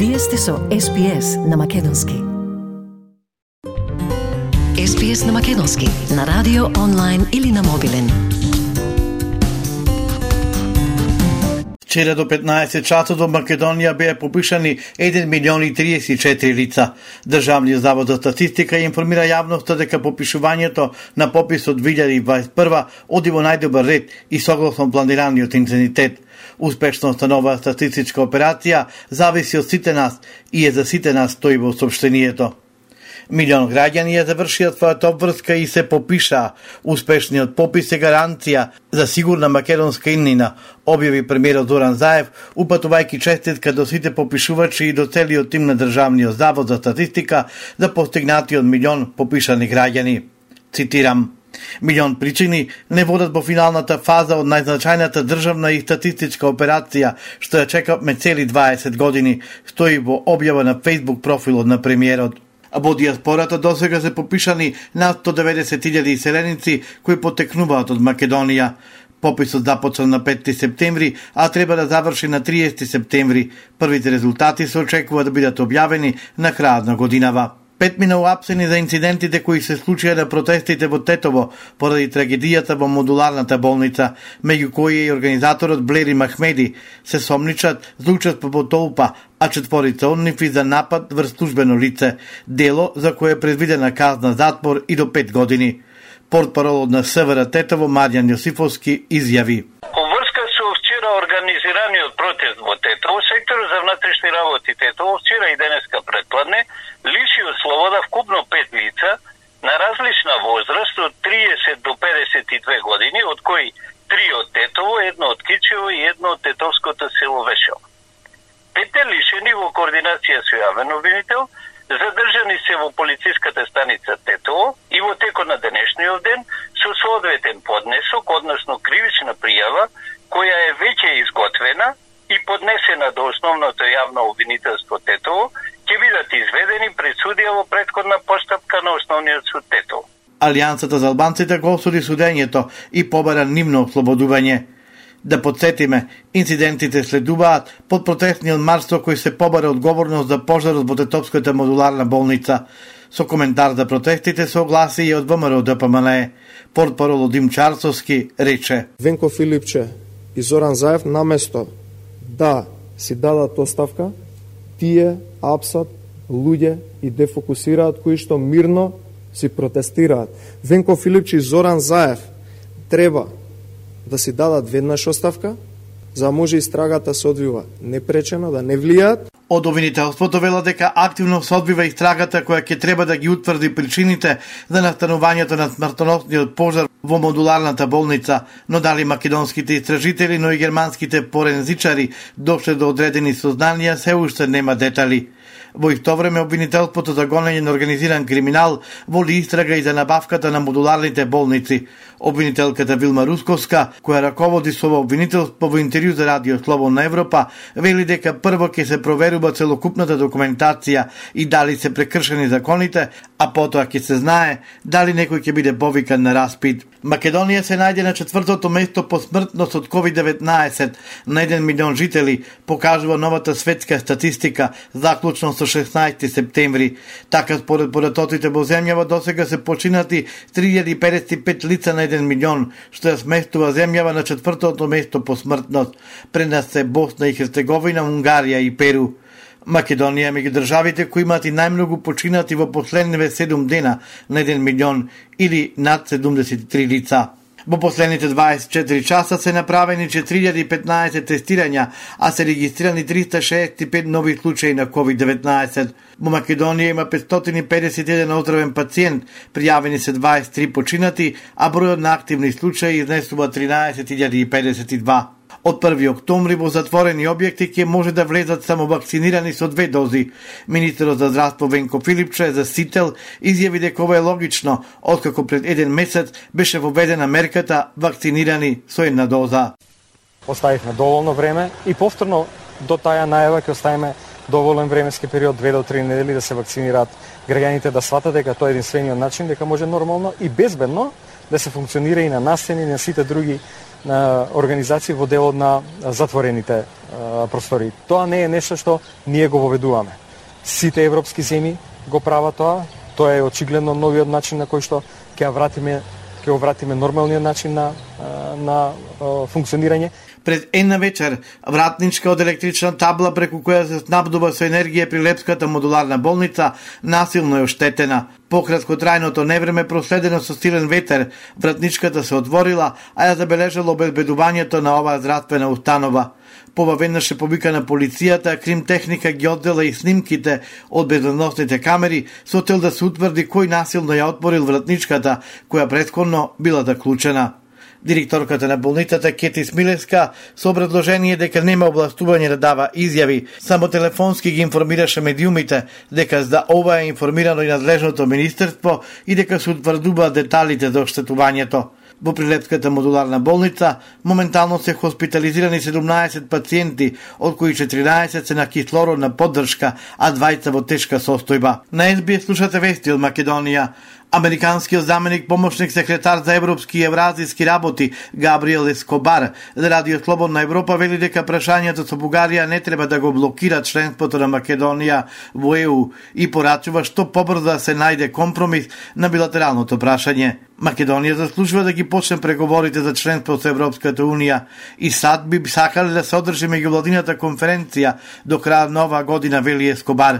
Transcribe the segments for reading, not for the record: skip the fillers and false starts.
Вие сте со SPS на Македонски. SPS на Македонски, на радио, онлайн или на мобилен. Вчера до 15 часот во Македонија беа попишани 1.034 лица. Државниот завод за статистика информира јавноста дека попишувањето на пописот 2021 оди во најдобар ред и согласно планираниот интензитет. Успешноста на оваа статистичка операција зависи од сите нас и за сите нас, стои во соопштението. Милион граѓани ја завршија својата обврска и се попишаа. Успешниот попис е гаранција за сигурна македонска иднина, објави премиерот Зоран Заев, упатувајќи честитка до сите попишувачи и до целиот тим на Државниот завод за статистика за постигнатиот милион попишани граѓани. Цитирам: милион причини не водат во финалната фаза од најзначајната државна и статистичка операција што ја чекавме цели 20 години, стои во објава на Facebook профилот на премиерот. Во диаспората досега се попишани над 190.000 селеници кои потекнуваат од Македонија. Пописот започна на 5 септември, а треба да заврши на 30 септември. Првите резултати се очекува да бидат објавени на крајот на годинава. 5 мина уапсени за инцидентите кои се случија на протестите во Тетово поради трагедијата во модуларната болница, меѓу кои и организаторот Блери Махмеди, се сомничат за учество во толпа, а 4 од нив за напад врз службено лице, дело за кое е предвидена казна затвор и до 5 години. Портпаролот на СВР Тетово Марјан Јосифовски изјави: Во врска со вчера организираниот протест во Тетово, секторот за внатрешни работи Тетово вчера и денеска предпладне лиши од слобода вкупно 5 лица на различна возраст од 30 до 52 години, од кои 3 од Тетово, 1 од Кичево и 1 од тетовското село Вешево. 5 лишени во координација со јавен обвинител задржани се во полициската станица Тетово и во текот на денешниот ден со соодветен поднесок, односно кривична пријава, која е веќе изготвена и поднесена до основното јавно обвинителство Тетово, ќе бидат изведени пред судија во претходна постапка на основниот суд Тетово. Алијансата за албанците го осуди судењето и побара нивно ослободување. Да подсетиме, инцидентите следуваат под протестниот марш со кој се побара одговорност за пожарот во Тетовската модуларна болница. Со коментар за протестите се огласи и од ВМРО ДПМНЕ. Портпарол Дим Чарцовски рече: Венко Филипче и Зоран Заев наместо да си дадат оставка, тие апсат луѓе и дефокусираат кои што мирно си протестираат. Венко Филипче и Зоран Заев треба да си дадат веднаш оставка, за да може истрагата се одвива непречено, да не влијаат. Од обвинителството вела дека активно се одвива истрагата која ќе треба да ги утврди причините за настанувањето на смртоносниот пожар во модуларната болница, но дали македонските истражители, но и германските форензичари дошле до одредени сознанија, се уште нема детали. Во исто време обвинителството за гонење на организиран криминал води истрага и за набавката на модуларните болници. Обвинителката Вилма Русковска, која раководи со обвинителство, во интервју за Радио Слободна Европа, вели дека прво ќе се проверува целокупната документација и дали се прекршени законите, а потоа ќе се знае дали некој ќе биде повикан на распит. Македонија се најде на 4-то место по смртност од COVID-19 на 1 милион жители, покажува новата светска статистика, заклучно со 16 септември. Така според поdatоците во земјава досега се починати 3055 лица на 1 милион, што ја сместува земјава на 4-то место по смртност. Пред нас се Босна и Херцеговина, Унгарија и Перу. Македонија е меѓу државите кои имаат и најмногу починати во последниве 7 дена на 1 милион или над 73 лица. Во последните 24 часа се направени 4015 тестирања, а се регистрирани 365 нови случаи на COVID-19. Во Македонија има 551 оздравен пациент, пријавени се 23 починати, а бројот на активни случаи изнесува 13.052. Од 1 октомври во затворени објекти ќе може да влезат само вакцинирани со 2 дози. Министерот за здравство Венко Филипче за Сител изјави дека ова е логично, откако пред 1 месец беше воведена мерката вакцинирани со 1 доза. Оставивме доволно време и повторно до таја најава ќе оставиме доволен временски период 2 до 3 недели да се вакцинираат граѓаните, да сватат дека тоа е единствениот начин дека може нормално и безбедно да се функционира и на настани и на сите други организации во делот на затворените простори. Тоа не е нешто што ние го воведуваме. Сите европски земји го прават тоа. Тоа е очигледно новиот начин на кој што ќе го вратиме нормалниот начин на функционирање. Пред една вечер, вратничка од електрична табла преку која се снабдува со енергија при Лепската модуларна болница насилно е оштетена. По краткотрајното невреме проследено со силен ветер, вратничката се отворила, а ја забележало обезбедувањето на оваа здравствена установа. Веднаш е повикана полицијата, крим техника ги оддела и снимките од безбедносните камери со цел да се утврди кој насилно ја отворил вратничката, која претходно била заклучена. Директорката на болницата Кети Смилевска со образложение дека нема областување да дава изјави, само телефонски ги информираше медиумите дека за ова е информирано и надлежното министерство и дека се утврдуваат деталите за оштетувањето. Во Прилепската модуларна болница моментално се хоспитализирани 17 пациенти, од кои 14 се на кислородна поддршка, а 20 во тешка состојба. На СБС слушате вести од Македонија. Американскиот заменик помошник секретар за европски и евразиски работи Габриел Ескобар за Радио Слободна Европа вели дека прашањето со Бугарија не треба да го блокира членството на Македонија во ЕУ и порачува што побрзо да се најде компромис на билатералното прашање. Македонија заслужува да ги почне преговорите за членство со Европската Унија и САД би сакале да се одржи меѓувладината конференција до крајот на оваа година, вели Ескобар.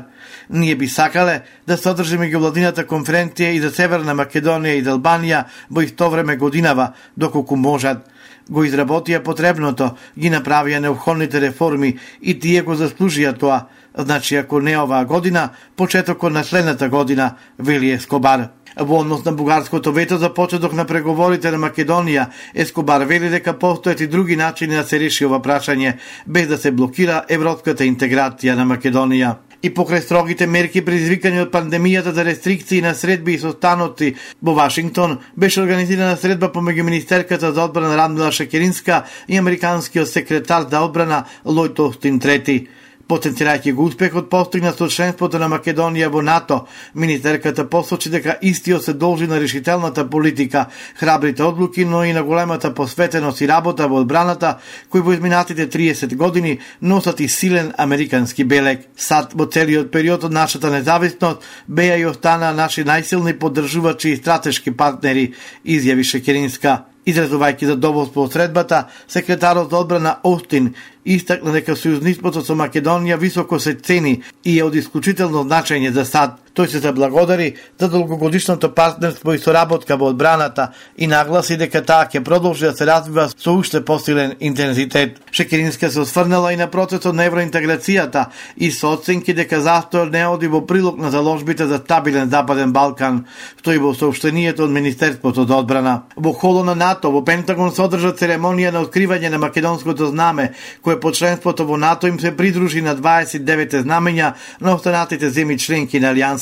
Ние би сакале да се одржи меѓувладината конференција и за Северна Македонија и за Албанија во исто време годинава, доколку можат. Го изработија потребното, ги направија необходните реформи и тие го заслужија тоа. Значи, ако не оваа година, почетокот на следната година, вели Ескобар. Во однос на бугарското вето за почеток на преговорите на Македонија, Ескобар вели дека постојат и други начини да се реши ова прашање, без да се блокира европската интеграција на Македонија. И покрај строгите мерки предизвикани од пандемијата за рестрикции на средби и состаноци во Вашингтон, беше организирана средба помеѓу министерката за одбрана Радмила Шекеринска и американскиот секретар за одбрана Лојд Остин III. Потенцирајќи го успехот постигнат со членството на Македонија во НАТО, министерката посочи дека истиот се должи на решителната политика, храбрите одлуки, но и на големата посветеност и работа во одбраната, кои во изминатите 30 години носат и силен американски белег. САД во целиот период од нашата независност беа и останаа наши најсилни поддржувачи и стратешки партнери, изјави Шекеринска. Изразувајќи задоволство од средбата, секретарот за одбрана Остин истакна дека сојузништвото со Македонија високо се цени и е од исклучително значење за САД. Тој се заблагодари за долгогодишното партнерство и соработка во одбраната и нагласи дека таа ќе продолжи да се развива со уште посилен интензитет. Шекеринска се осврнала и на процесот на евроинтеграцијата и со оценки дека застојот не оди во прилог на заложбите за стабилен Западен Балкан, стои во соопштенијето од Министерството за одбрана. Во холо на НАТО во Пентагон се одржа церемонија на откривање на македонското знаме, кое по членството во НАТО им се придружи на 29 знамења на останатите земји членки на Алијансата.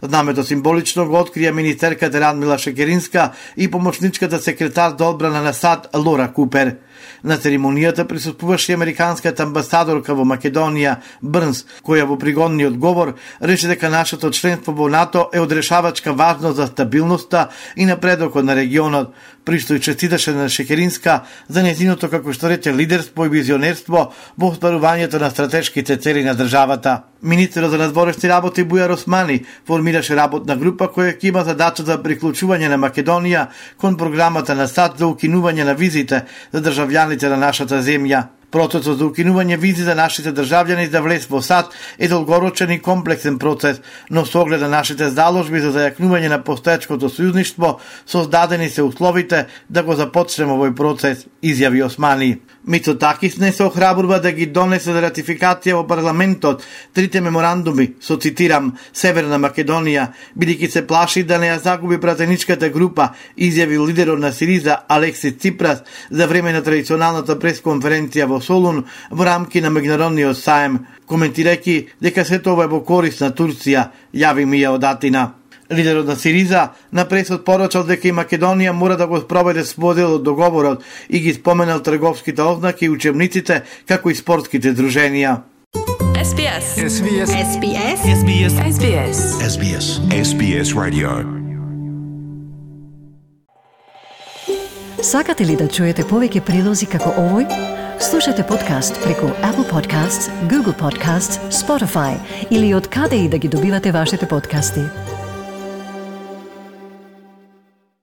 Знамето символично го открија министерката Радмила Шекеринска и помошничката секретар за одбрана на САД Лора Купер. На церемонијата присуствуваше американската амбасадорка во Македонија Брнс, која во пригодниот говор рече дека нашето членство во НАТО е од решавачка важност за стабилноста и напредокот на регионот. Пристој честиташе на Шекеринска за нејзиното, како што рече, лидерство и визионерство во остварувањето на стратешките цели на државата. Министерот за надворешни работи Бујар Османи формираше работна група која ќе има задача за приклучување на Македонија кон програмата на САД за укинување на визите за државјаните на нашата земја. Процесот за укинување визи за нашите државјани за влез во САД е долгорочен и комплексен процес, но со оглед на нашите заложби за зајакнување на постоечкото сојузништво, создадени се условите да го започнеме овој процес, изјави Османи. Мицотакис не се охрабрува да ги донесе за ратификација во парламентот трите меморандуми со, цитирам, Северна Македонија, бидејќи се плаши да не ја загуби пратеничката група, изјави лидерот на Сириза Алексис Ципрас за време на традиционалната пресконференција во Солун во рамки на меѓународниот саем, коментирајќи дека сето ова е во корист на Турција, јави Мија од Атина. Лидерот на Сириза на пресот порачал дека и Македонија мора да го спроведе свој дел од договорот и ги споменал трговските ознаки и учебниците, како и спортските друженија. SBS. SBS. SBS. SBS. SBS. SBS. SBS Radio. Сакате ли да чуете повеќе прилози како овој? Слушате подкаст преку Apple Podcasts, Google Podcasts, Spotify или од каде и да ги добивате вашите подкасти.